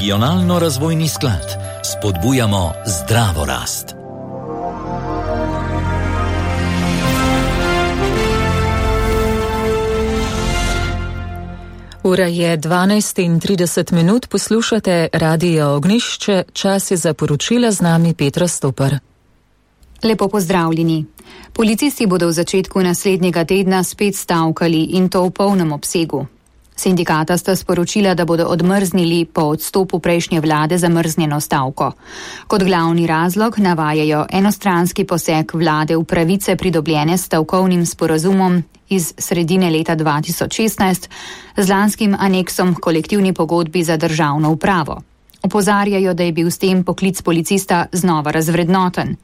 Regionalno-razvojni sklad. Spodbujamo zdravo rast. Ura je 12:30, poslušate Radio Ognjišče, čas je za poročila, z nami Petra Stopar. Lepo pozdravljeni. Policisti bodo v začetku naslednjega tedna spet stavkali in to v polnem obsegu. Sindikata sta sporočila, da bodo odmrznili po odstopu prejšnje vlade zamrznjeno stavko. Kot glavni razlog navajajo enostranski poseg vlade v pravice pridobljene s stavkovnim sporazumom iz sredine leta 2016 z lanskim aneksom k kolektivni pogodbi za državno upravo. Opozarjajo, da je bil s tem poklic policista znova razvrednoten.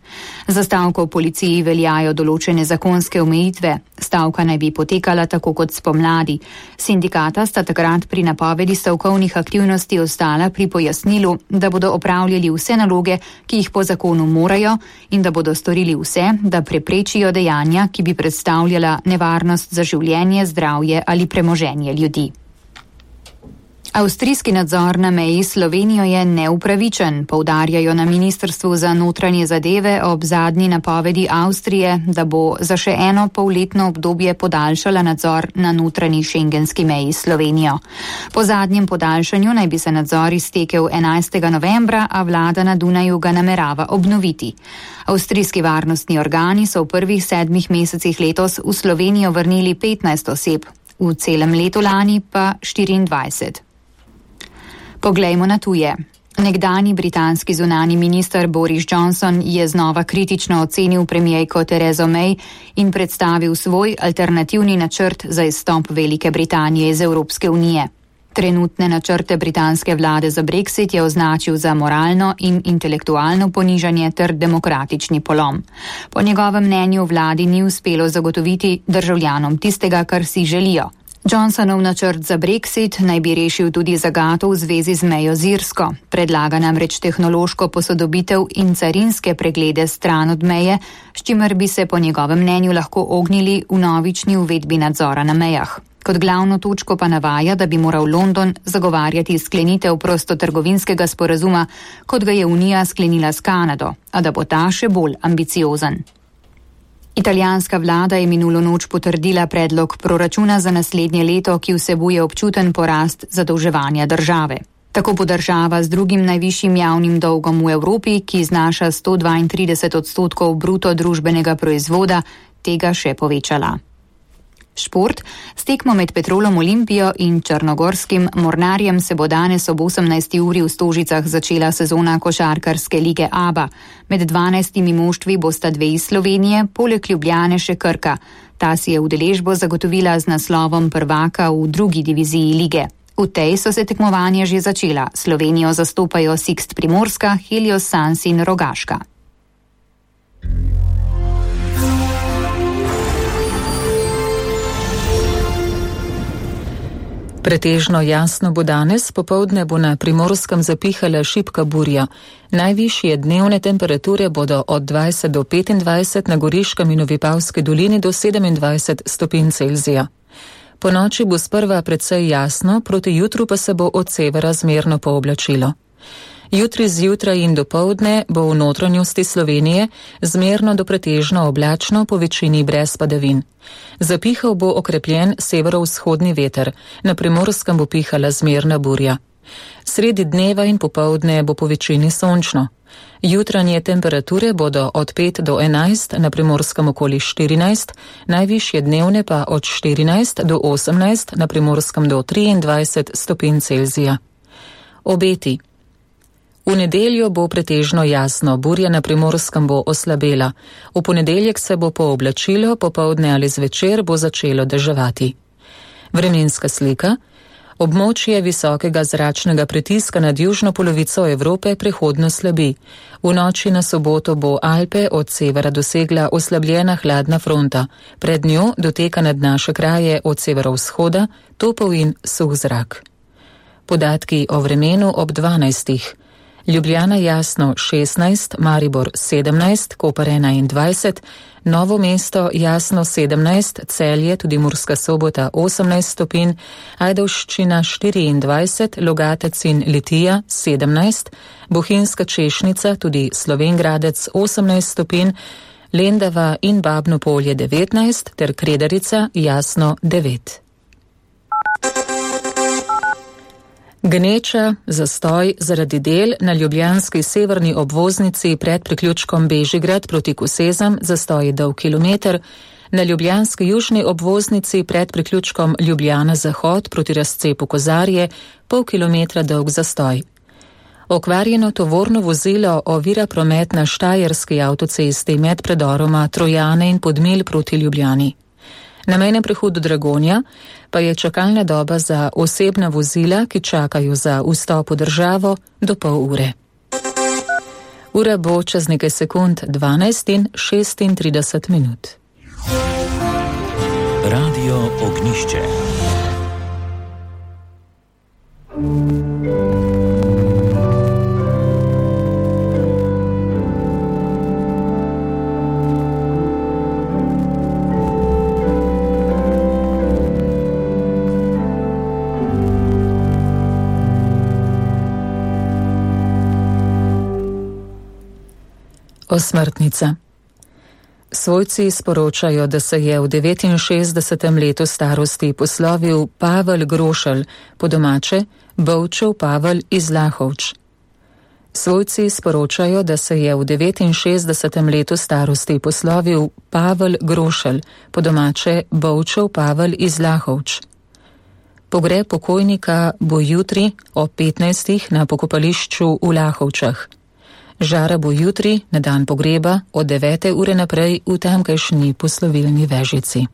Za stavko v policiji veljajo določene zakonske omejitve. Stavka naj bi potekala tako kot spomladi. Sindikata sta takrat pri napovedi stavkovnih aktivnosti ostala pri pojasnilu, da bodo opravljali vse naloge, ki jih po zakonu morajo, in da bodo storili vse, da preprečijo dejanja, ki bi predstavljala nevarnost za življenje, zdravje ali premoženje ljudi. Avstrijski nadzor na meji s Slovenijo je neupravičen, poudarjajo na Ministrstvu za notranje zadeve ob zadnji napovedi Avstrije, da bo za še eno polletno obdobje podaljšala nadzor na notranji šengenski meji s Slovenijo. Po zadnjem podaljšanju naj bi se nadzor iztekel 11. novembra, a vlada na Dunaju ga namerava obnoviti. Avstrijski varnostni organi so v prvih 7 mesecih letos v Slovenijo vrnili 15 oseb, v celem letu lani pa 24. Poglejmo na tuje. Nekdanji britanski zunani minister Boris Johnson je znova kritično ocenil premierko Terezo May in predstavil svoj alternativni načrt za izstop Velike Britanije iz Evropske unije. Trenutne načrte britanske vlade za Brexit je označil za moralno in intelektualno ponižanje ter demokratični polom. Po njegovem mnenju vladi ni uspelo zagotoviti državljanom tistega, kar si želijo. Johnsonov načrt za Brexit naj bi rešil tudi zagato v zvezi z mejo z Irsko. Predlaga namreč tehnološko posodobitev in carinske preglede stran od meje, s čimer bi se po njegovem mnenju lahko ognili vnovični uvedbi nadzora na mejah. Kot glavno točko pa navaja, da bi moral London zagovarjati sklenitev prostotrgovinskega sporazuma, kot ga je Unija sklenila s Kanado, a da bo ta še bolj ambiciozen. Italijanska vlada je minulo noč potrdila predlog proračuna za naslednje leto, ki vsebuje občuten porast zadolževanja države. Tako bo država z drugim najvišjim javnim dolgom v Evropi, ki znaša 132% bruto družbenega proizvoda, tega še povečala. Šport. S tekmo med Petrolom Olimpijo in črnogorskim Mornarjem se bo danes ob 18. uri v Stožicah začela sezona košarkarske lige ABA. Med 12 moštvi bosta 2 iz Slovenije, poleg Ljubljane še Krka. Ta si je udeležbo zagotovila z naslovom prvaka v 2. diviziji lige. V tej so se tekmovanja že začela. Slovenijo zastopajo Sixt Primorska, Helios Sans in Rogaška. Pretežno jasno bo danes, popoldne bo na Primorskem zapihala šibka burja. Najvišje dnevne temperature bodo od 20 do 25, na Goriškem in v Vipavski dolini do 27 stopinj Celzija. Po noči bo sprva precej jasno, proti jutru pa se bo od severa zmerno pooblačilo. Jutri zjutraj in dopoldne bo v notranjosti Slovenije zmerno do pretežno oblačno, po večini brez padavin. Zapihal bo okrepljen severovzhodni veter, na Primorskem bo pihala zmerna burja. Sredi dneva in popoldne bo po večini sončno. Jutranje temperature bodo od 5 do 11, na Primorskem okoli 14, najvišje dnevne pa od 14 do 18, na Primorskem do 23 stopinj Celzija. Obeti. V nedeljo bo pretežno jasno, burja na Primorskem bo oslabela. V ponedeljek se bo pooblačilo, popoldne ali zvečer bo začelo deževati. Vremenska slika. Območje visokega zračnega pritiska nad južno polovico Evrope prehodno slabi. V noči na soboto bo Alpe od severa dosegla oslabljena hladna fronta. Pred njo doteka nad naše kraje od severovzhoda topel in suh zrak. Podatki o vremenu ob 12. Ljubljana jasno 16, Maribor 17, Koper 21, Novo Mesto jasno 17, Celje, tudi Murska Sobota 18 stopinj, Ajdovščina 24, Logatec in Litija 17, Bohinjska Češnica, tudi Slovenj Gradec 18 stopinj, Lendava in Babno Polje 19 ter Kredarica jasno 9. Gneča, zastoj zaradi del na ljubljanski severni obvoznici pred priključkom Bežigrad proti Kosezam, zastoj je dolg kilometer, na ljubljanski južni obvoznici pred priključkom Ljubljana Zahod proti razcepu Kozarje pol kilometra dolg zastoj. Okvarjeno tovorno vozilo ovira promet na Štajerski avtocesti med predoroma Trojane in Podmilj proti Ljubljani. Na mejnem prehodu Dragonja pa je čakalna doba za osebna vozila, ki čakajo za vstop v državo, do pol ure. Ura bo čez nekaj sekund 12 in 36 minut. Radio Ognišče. Osmrtnica. Svojci sporočajo, da se je v 69. letu starosti poslovil Pavel Grošelj, po domače Bovčev Pavel iz Lahovč. Svojci sporočajo, da se je v 69. letu starosti poslovil Pavel Grošelj, po domače Bovčev Pavel iz Lahovč. Pogreb pokojnika bo jutri ob 15. na pokopališču v Lahovčah. Žara bo jutri, na dan pogreba, od 9. ure naprej v tamkajšnji poslovilni vežici.